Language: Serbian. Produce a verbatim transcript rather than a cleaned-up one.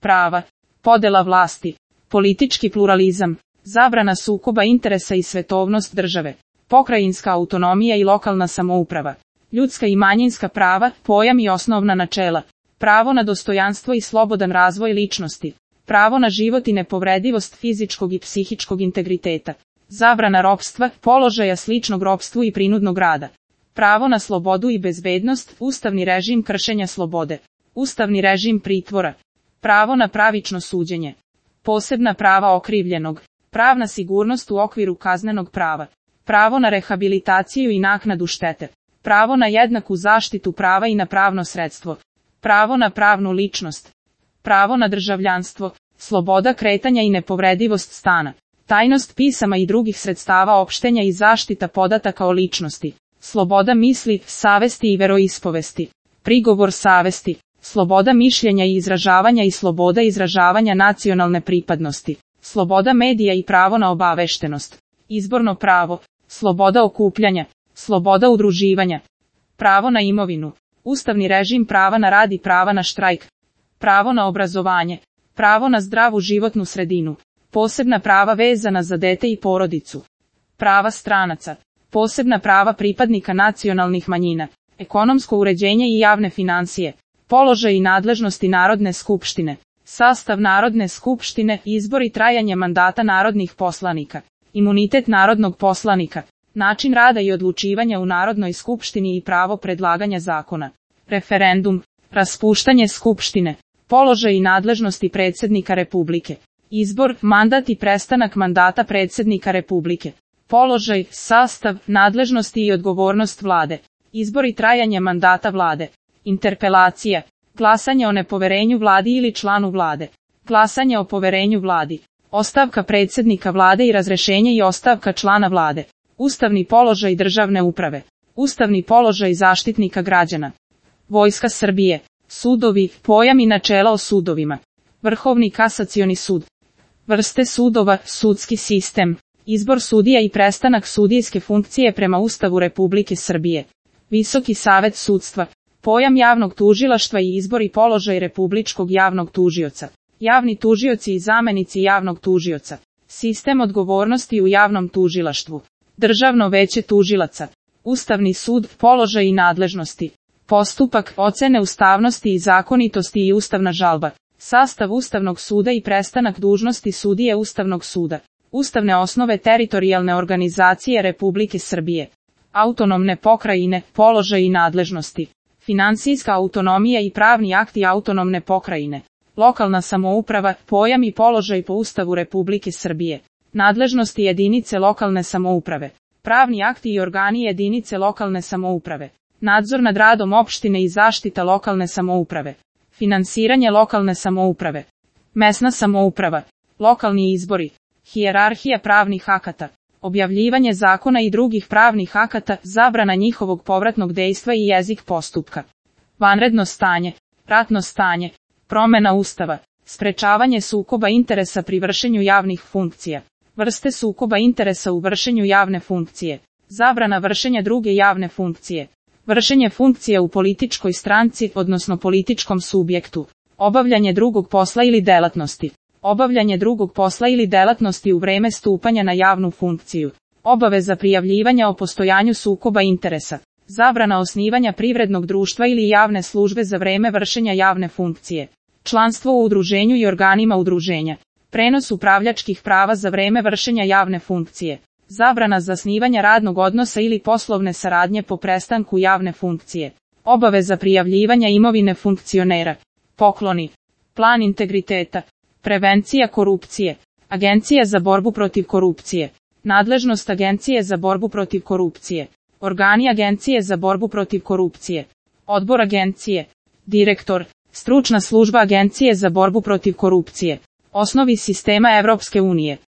prava, podela vlasti, politički pluralizam, zabrana sukoba interesa i svetovnost države, pokrajinska autonomija i lokalna samouprava, ljudska i manjinska prava, pojam i osnovna načela, pravo na dostojanstvo i slobodan razvoj ličnosti, pravo na život i nepovredivost fizičkog i psihičkog integriteta, zabrana ropstva, položaja sličnog ropstvu i prinudnog rada, pravo na slobodu i bezbednost, ustavni režim kršenja slobode, ustavni režim pritvora, pravo na pravično suđenje, posebna prava okrivljenog, pravna sigurnost u okviru kaznenog prava, pravo na rehabilitaciju i naknadu štete, pravo na jednaku zaštitu prava i na pravno sredstvo, pravo na pravnu ličnost, pravo na državljanstvo, sloboda kretanja i nepovredivost stana, tajnost pisama i drugih sredstava opštenja i zaštita podataka o ličnosti, sloboda misli, savesti i veroispovesti, prigovor savesti, sloboda mišljenja i izražavanja i sloboda izražavanja nacionalne pripadnosti, sloboda medija i pravo na obaveštenost, izborno pravo, sloboda okupljanja, sloboda udruživanja, pravo na imovinu, ustavni režim prava na rad i prava na štrajk, pravo na obrazovanje, pravo na zdravu životnu sredinu, posebna prava vezana za dete i porodicu, prava stranaca, posebna prava pripadnika nacionalnih manjina, ekonomsko uređenje i javne financije, položaj i nadležnosti Narodne skupštine, sastav Narodne skupštine, izbor i trajanje mandata narodnih poslanika, imunitet narodnog poslanika, način rada i odlučivanja u Narodnoj skupštini i pravo predlaganja zakona, referendum, raspuštanje skupštine, položaj i nadležnosti predsjednika Republike, izbor, mandat i prestanak mandata predsjednika Republike, položaj, sastav, nadležnosti i odgovornost vlade, izbor i trajanje mandata vlade, interpelacija, glasanje o nepoverenju vladi ili članu vlade, glasanje o poverenju vladi, ostavka predsjednika vlade i razrešenje i ostavka člana vlade, ustavni položaj državne uprave, ustavni položaj zaštitnika građana, Vojska Srbije, sudovi, pojam i načela o sudovima, Vrhovni kasacioni sud, vrste sudova, sudski sistem, izbor sudija i prestanak sudijske funkcije prema Ustavu Republike Srbije, Visoki savet sudstva, pojam javnog tužilaštva i izbor i položaj republičkog javnog tužioca, javni tužioci i zamenici javnog tužioca, sistem odgovornosti u javnom tužilaštvu, Državno veće tužilaca, Ustavni sud, položaj i nadležnosti, postupak, ocene ustavnosti i zakonitosti i ustavna žalba, sastav Ustavnog suda i prestanak dužnosti sudije Ustavnog suda, ustavne osnove teritorijalne organizacije Republike Srbije, autonomne pokrajine, položaj i nadležnosti, finansijska autonomija i pravni akti autonomne pokrajine, lokalna samouprava, pojam i položaj po Ustavu Republike Srbije, nadležnosti jedinice lokalne samouprave, pravni akti i organi jedinice lokalne samouprave, nadzor nad radom opštine i zaštita lokalne samouprave, finansiranje lokalne samouprave, mesna samouprava, lokalni izbori, hijerarhija pravnih akata, objavljivanje zakona i drugih pravnih akata, zabrana njihovog povratnog dejstva i jezik postupka, vanredno stanje, ratno stanje, promena Ustava, sprečavanje sukoba interesa pri vršenju javnih funkcija, vrste sukoba interesa u vršenju javne funkcije, zabrana vršenja druge javne funkcije, vršenje funkcije u političkoj stranci, odnosno političkom subjektu, obavljanje drugog posla ili delatnosti, obavljanje drugog posla ili delatnosti u vreme stupanja na javnu funkciju, obaveza prijavljivanja o postojanju sukoba interesa, zabrana osnivanja privrednog društva ili javne službe za vreme vršenja javne funkcije, članstvo u udruženju i organima udruženja, prenos upravljačkih prava za vreme vršenja javne funkcije, zabrana zasnivanja radnog odnosa ili poslovne saradnje po prestanku javne funkcije, obaveza prijavljivanja imovine funkcionera, pokloni, plan integriteta, prevencija korupcije, Agencija za borbu protiv korupcije, nadležnost Agencije za borbu protiv korupcije, organi Agencije za borbu protiv korupcije, odbor Agencije, direktor, stručna služba Agencije za borbu protiv korupcije, osnovi sistema Evropske unije.